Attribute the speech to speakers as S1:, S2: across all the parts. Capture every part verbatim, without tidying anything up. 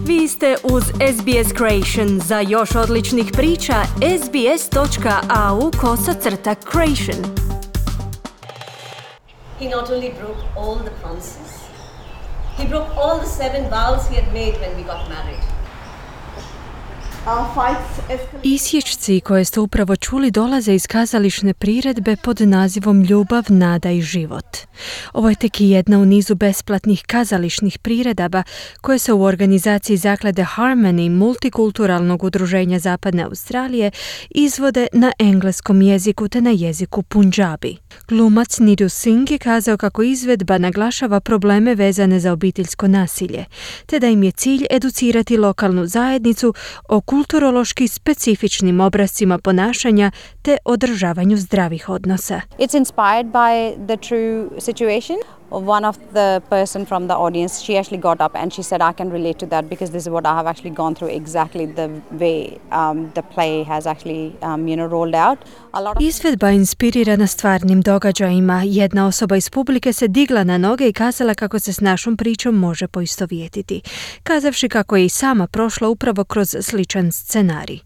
S1: Vi ste uz S B S Creation. Za još odličnih priča, sbs.au kosacrta creation.
S2: He not only broke all the promises, he broke all the seven vows he had made when we got married.
S1: Isječci koje ste upravo čuli dolaze iz kazališne priredbe pod nazivom Ljubav, nada i život. Ovo je tek jedna u nizu besplatnih kazališnih priredaba koje se u organizaciji zaklade Harmony multikulturalnog udruženja Zapadne Australije izvode na engleskom jeziku te na jeziku Punjabi. Glumac Nidhu Singh je kazao kako izvedba naglašava probleme vezane za obiteljsko nasilje, te da im je cilj educirati lokalnu zajednicu o kulturološki specifičnim obrascima ponašanja te održavanju zdravih odnosa.
S3: It's inspired by the true situation. One of the person from the audience, she actually got up and she said, I can relate to that because this is what I have actually gone through exactly the way um, the play has actually um, you know, rolled out. A lot of...
S1: Izvedba inspirirana stvarnim događajima. Jedna osoba iz publike se digla na noge i kazala kako se s našom pričom može poistovjetiti, kazavši kako je i sama prošla upravo kroz sličan scenarij.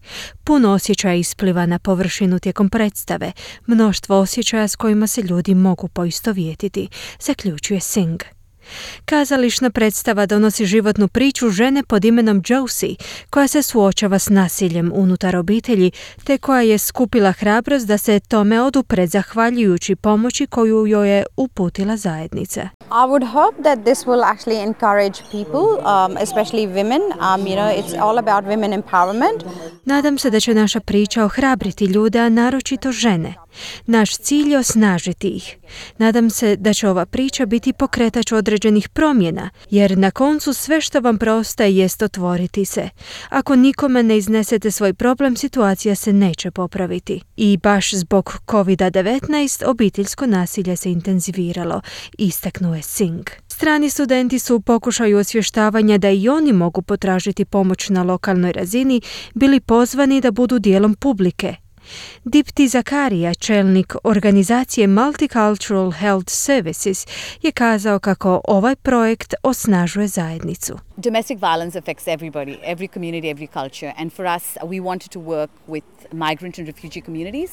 S1: Puno osjećaja ispliva na površinu tijekom predstave, mnoštvo osjećaja s kojima se ljudi mogu poistovjetiti, zaključuje Singh. Kazališna predstava donosi životnu priču žene pod imenom Josie, koja se suočava s nasiljem unutar obitelji, te koja je skupila hrabrost da se tome odupre zahvaljujući pomoći koju joj je uputila zajednica.
S3: I would hope that this will actually encourage people, um, especially women. Um, you know, it's all about women empowerment.
S1: Nadam se da će naša priča ohrabriti ljude, a naročito žene. Naš cilj je osnažiti ih. Nadam se da će ova priča biti pokretač određenih promjena, jer na koncu sve što vam preostaje jest otvoriti se. Ako nikome ne iznesete svoj problem, situacija se neće popraviti. I baš zbog covid devetnaest obiteljsko nasilje se intenziviralo, istaknuo je Singh. Strani studenti su u pokušaju osvještavanja da i oni mogu potražiti pomoć na lokalnoj razini bili pozvani da budu dijelom publike. Dipti Zakaria, čelnik organizacije Multicultural Health Services, je kazao kako ovaj projekt osnažuje zajednicu.
S4: Domestic violence affects everybody, every community, every culture. And for us, we wanted to work with migrant and refugee communities,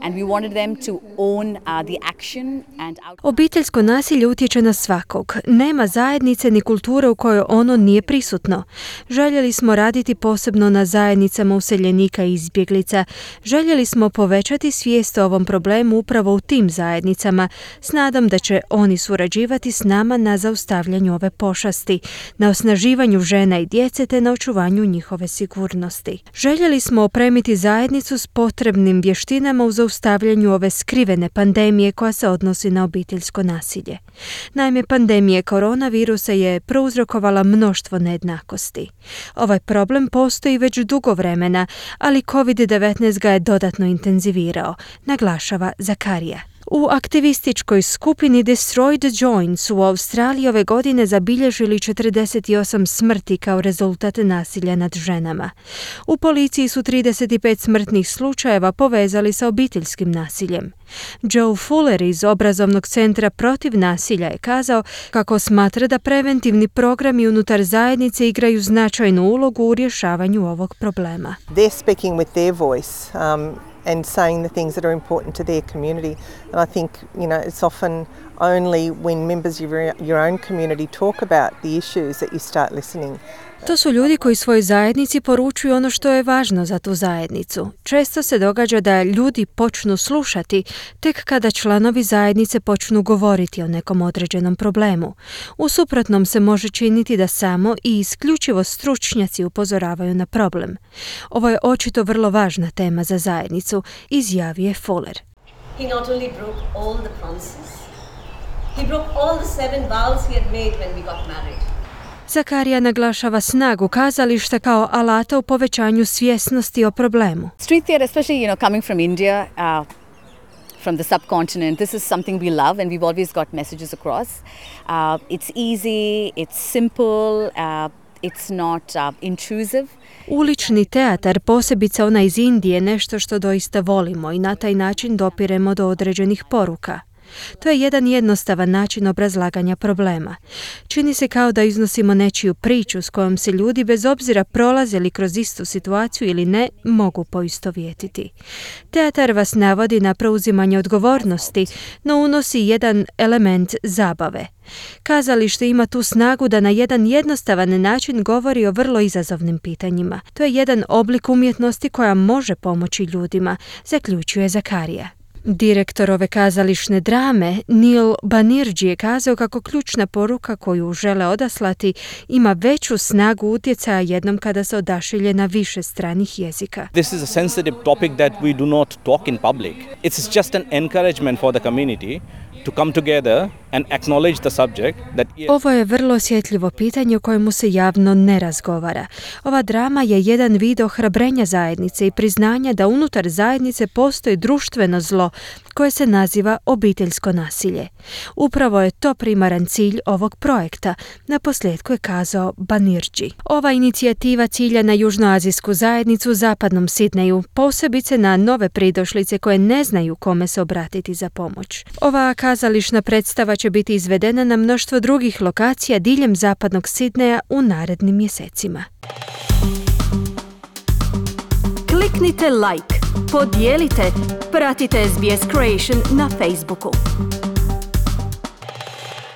S4: and we wanted them to own uh, the action and out-
S1: Obiteljsko nasilje utječe na svakog. Nema zajednice ni kulture u kojoj ono nije prisutno. Željeli smo raditi posebno na zajednicama useljenika i izbjeglica. Željeli smo povećati svijest o ovom problemu upravo u tim zajednicama, s nadom da će oni surađivati s nama na zaustavljanju ove pošasti, na osnaživanju žena i djece te na očuvanju njihove sigurnosti. Željeli smo opremiti zajednicu s potrebnim vještinama u zaustavljanju ove skrivene pandemije koja se odnosi na obiteljsko nasilje. Naime, pandemija koronavirusa je prouzrokovala mnoštvo nejednakosti. Ovaj problem postoji već dugo vremena, ali covid devetnaest ga je dodatno intenzivirao, naglašava Zakaria. U aktivističkoj skupini Destroy the Joint su u Australiji ove godine zabilježili četrdeset osam smrti kao rezultat nasilja nad ženama. U policiji su trideset pet smrtnih slučajeva povezali sa obiteljskim nasiljem. Joe Fuller iz obrazovnog centra protiv nasilja je kazao kako smatra da preventivni programi unutar zajednice igraju značajnu ulogu u rješavanju ovog problema.
S5: They're speaking with their voice. Um, and saying the things that are important to their community. And I think, you know, it's often only when members of your, your own community talk about the issues that you start listening.
S1: To su ljudi koji svojoj zajednici poručuju ono što je važno za tu zajednicu. Često se događa da ljudi počnu slušati tek kada članovi zajednice počnu govoriti o nekom određenom problemu. U suprotnom se može činiti da samo i isključivo stručnjaci upozoravaju na problem. Ovo je očito vrlo važna tema za zajednicu, izjavio je Fuller.
S2: He not only broke all the promises, he broke all the seven vows he had made when we got married.
S1: Zakaria naglašava snagu kazališta kao alata u povećanju svjesnosti o problemu.
S4: Street theatre, especially, you know, coming from India, uh, from the subcontinent, this is something we love and we've always got messages across. Uh, it's easy, it's simple, uh, it's not uh, intrusive.
S1: Ulični teatar, posebice ona iz Indije, nešto što doista volimo i na taj način dopiremo do određenih poruka. To je jedan jednostavan način obrazlaganja problema. Čini se kao da iznosimo nečiju priču s kojom se ljudi, bez obzira prolaze li kroz istu situaciju ili ne, mogu poistovjetiti. Teatar vas navodi na preuzimanje odgovornosti, no unosi jedan element zabave. Kazalište ima tu snagu da na jedan jednostavan način govori o vrlo izazovnim pitanjima. To je jedan oblik umjetnosti koja može pomoći ljudima, zaključuje Zakarija. Direktor ove kazališne drame, Neil Banerjee, je kazao kako ključna poruka koju žele odaslati ima veću snagu utjecaja jednom kada se odašilje na više stranih jezika.
S6: This is a sensitive topic that we do not talk in public. It's just an encouragement for the community to come together and acknowledge the subject that yes.
S1: Ovo je vrlo osjetljivo pitanje o kojemu se javno ne razgovara. Ova drama je jedan vid ohrabrenja zajednice i priznanja da unutar zajednice postoji društveno zlo koje se naziva obiteljsko nasilje. Upravo je to primaran cilj ovog projekta, naposljetku je kazao Banerjee. Ova inicijativa cilja na južnoazijsku zajednicu u zapadnom Sidneju, posebice na nove pridošlice koje ne znaju kome se obratiti za pomoć. Ova kazališna predstava će biti izvedena na mnoštvo drugih lokacija diljem zapadnog Sidneja u narednim mjesecima.
S7: Kliknite like, podijelite, pratite S B S Creation na Facebooku.